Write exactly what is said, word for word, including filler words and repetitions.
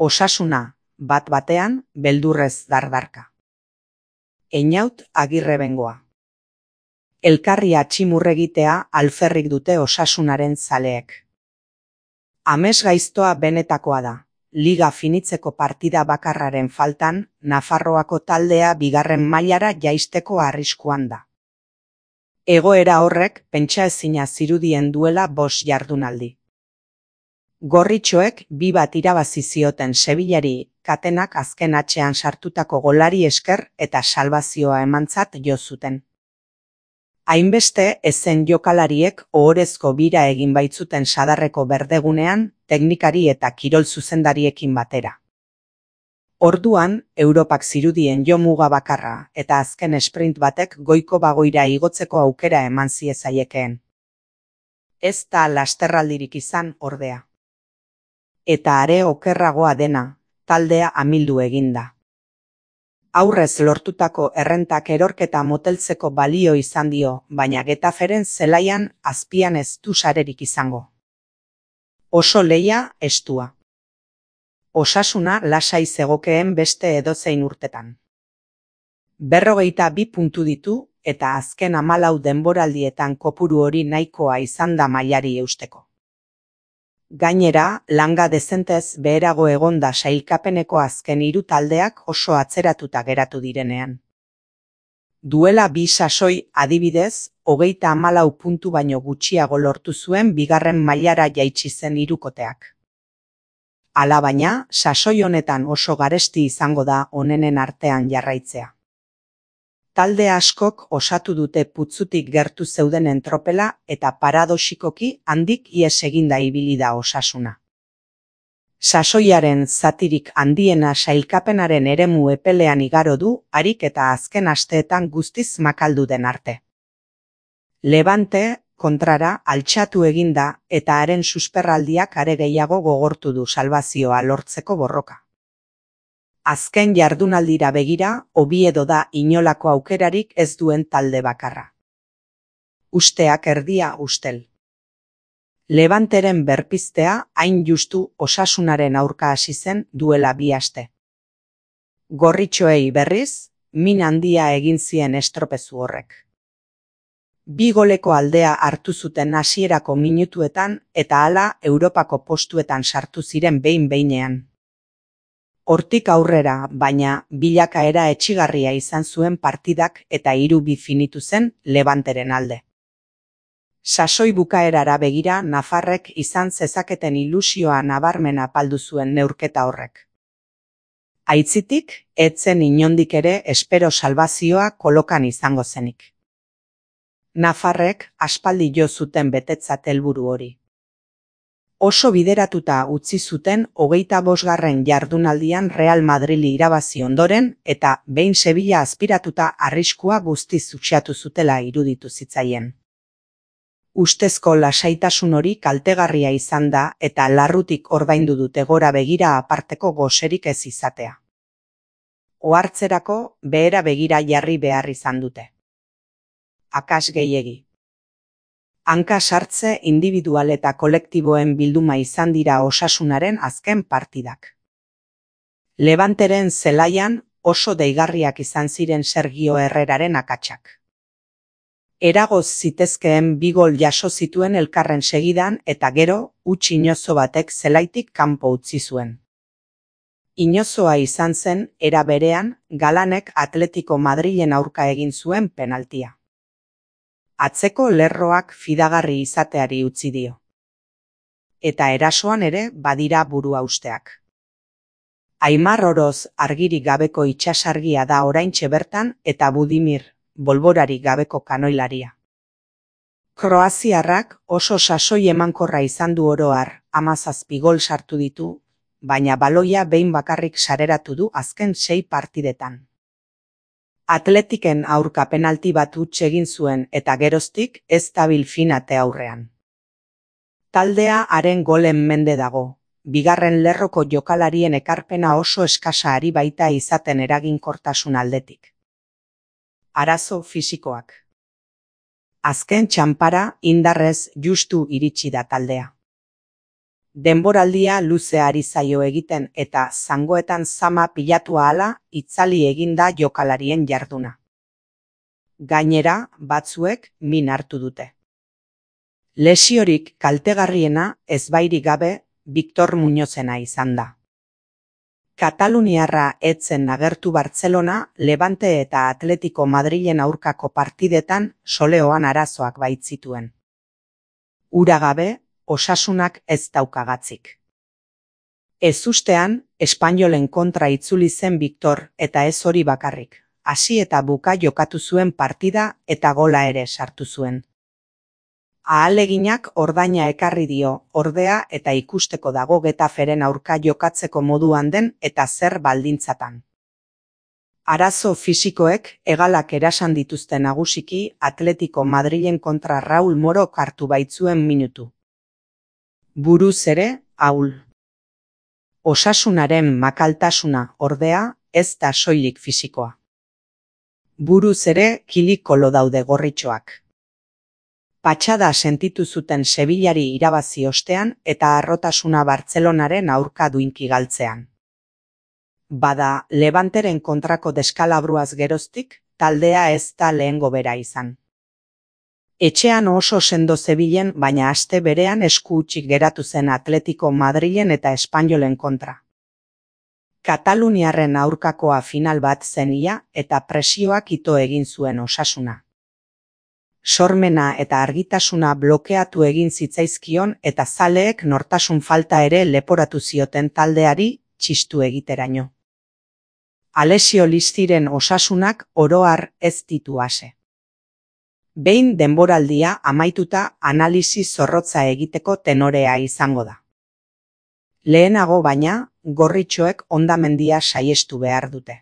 Osasuna, bat batean, beldurrez dardarka. Einaut Agirre Bengoa. Elkarri atximurregitea alferrik dute Osasunaren zaleek. Amesgaiztoa benetakoa da. Liga finitzeko partida bakarraren faltan, Nafarroako taldea bigarren mailara jaisteko arriskuan da. Egoera horrek pentsaezina zirudien duela bost jardunaldi. Gorritxoek bi bat irabazi zioten Sevillari Katenak azken atxean sartutako golari esker eta salbazioa emantzat jo zuten. Hainbeste ezen jokalariek ohorezko bira egin baitzuten Sadarreko berdegunean, teknikari eta kirol zuzendariekin batera. Orduan, Europak zirudien jo muga bakarra eta azken sprint batek goiko bagoira igotzeko aukera eman ziezaiekeen. Ez da lasterraldirik izan ordea. Eta are okerragoa dena, taldea amildu eginda. Aurrez lortutako errentak erorketa moteltzeko balio izan dio, baina Getaferen zelaian azpian ez du sarerik izango. Oso lehia estua. Osasuna lasai zegokeen beste edozein urtetan. Berrogeita bi puntu ditu eta azken hamalau denboraldietan kopuru hori nahikoa izan da mailari eusteko. Gainera, langa dezentez beherago egonda sailkapeneko azken hiru taldeak oso atzeratuta geratu direnean. Duela bi sasoi adibidez, hogeita hamalau puntu baino gutxiago lortu zuen bigarren mailara jaitsi zen hirukoteak. Alabaina, sasoi honetan oso garesti izango da onenen artean jarraitzea. Talde askok osatu dute putzutik gertu zeudenen tropela eta paradoxikoki handik ihes eginda ibili da Osasuna. Sasoiaren zatirik handiena sailkapenaren eremu epelean igaro du, harik eta azken asteetan guztiz makaldu den arte. Levante, kontrara, altxatu eginda eta haren susperraldiak are gehiago gogortu du salbazioa lortzeko borroka. Azken jardunaldira begira, Oviedo da inolako aukerarik ez duen talde bakarra. Usteak erdia ustel. Levanteren berpiztea hain justu Osasunaren aurka hasi zen duela bi aste. Gorritxoei berriz, min handia egin zien estropezu horrek. Bi goleko aldea hartu zuten hasierako minutuetan eta hala Europako postuetan sartu ziren behin-behinean. Hortik aurrera, baina, bilakaera etxigarria izan zuen partidak eta hiru bi finitu zen Levanteren alde. Sasoi bukaerara begira Nafarrek izan zezaketen ilusioa nabarmen apaldu zuen neurketa horrek. Aitzitik, etzen inondik ere espero salbazioa kolokan izango zenik. Nafarrek aspaldi jo zuten betetzat helburu hori. Oso bideratuta utzi zuten hogeita bosgarren jardunaldian Real Madrili irabazi ondoren eta behin Sevilla azpiratuta arriskua guztiz utxatu zutela iruditu zitzaien. Ustezko lasaitasun hori kaltegarria izan da eta larrutik ordaindu dute gora begira aparteko goserik ez izatea. Ohartzerako behera begira jarri behar izan dute. Akas gehiegi. Hanka sartze individual eta kolektiboen bilduma izan dira Osasunaren azken partidak. Levanteren zelaian oso deigarriak izan ziren Sergio Herreraren akatsak. Eragoz zitezkeen bi gol jaso zituen elkarren segidan eta gero, huts inozo batek zelaitik kanpo utzi zuen. Inozoa izan zen, era berean, Galanek Atletico Madrilen aurka egin zuen penaltia. Atzeko lerroak fidagarri izateari utzi dio. Eta erasoan ere badira burua usteak. Aimar Oroz argirik gabeko itsasargia da oraintxe bertan eta Budimir, bolborarik gabeko kanoilaria. Kroaziarrak oso sasoi emankorra izan du oro har, hamazazpi gol sartu ditu, baina baloia behin bakarrik sareratu du azken sei partidetan. Atletiken aurka penalti bat huts egin zuen eta geroztik ez dabil finate aurrean. Taldea haren golen mende dago, bigarren lerroko jokalarien ekarpena oso eskasa ari baita izaten eraginkortasun aldetik. Arazo fisikoak. Azken txanpara indarrez justu iritsi da taldea. Denboraldia luze ari zaio egiten eta zangoetan zama pilatu ahala itzali eginda jokalarien jarduna. Gainera, batzuek min hartu dute. Lesiorik kaltegarriena ezbairik gabe Victor Muñozena izan da. Kataluniarra etzen agertu Bartzelona, Levante eta Atletico Madrilen aurkako partidetan soleoan arazoak baitzituen. Ura gabe, osasunak ez daukagatzik. Ezustean, Espainolen kontra itzuli zen Victor eta ez hori bakarrik. Hasi eta buka jokatu zuen partida eta gola ere sartu zuen. Ahaleginak ordaina ekarri dio, ordea eta ikusteko dago Getaferen aurka jokatzeko moduan den eta zer baldintzatan. Arazo fisikoek hegalak erasan dituzte nagusiki Atletico Madrilen kontra Raúl Morok hartu baitzuen minutu. Buruz ere, ahul. Osasunaren makaltasuna, ordea, ez da soilik fisikoa. Buruz ere kilikolo daude gorritxoak. Patxada sentitu zuten Sevillari irabazi ostean eta harrotasuna Bartzelonaren aurka duinki galtzean. Bada, Levanteren kontrako deskalabruaz geroztik, taldea ez da lehengo bera izan. Etxean oso sendo zebilen, baina aste berean esku hutsik geratu zen Atletico Madrilen eta Espainolen kontra. Kataluniarren aurkakoa final bat zen ia eta presioak ito egin zuen Osasuna. Sormena eta argitasuna blokeatu egin zitzaizkion eta zaleek nortasun falta ere leporatu zioten taldeari txistu egiteraino. Alessio Listiren Osasunak oro har ez ditu ase. Behin denboraldia amaituta analisi zorrotza egiteko tenorea izango da. Lehenago baina, gorritxoek hondamendia saiestu behar dute.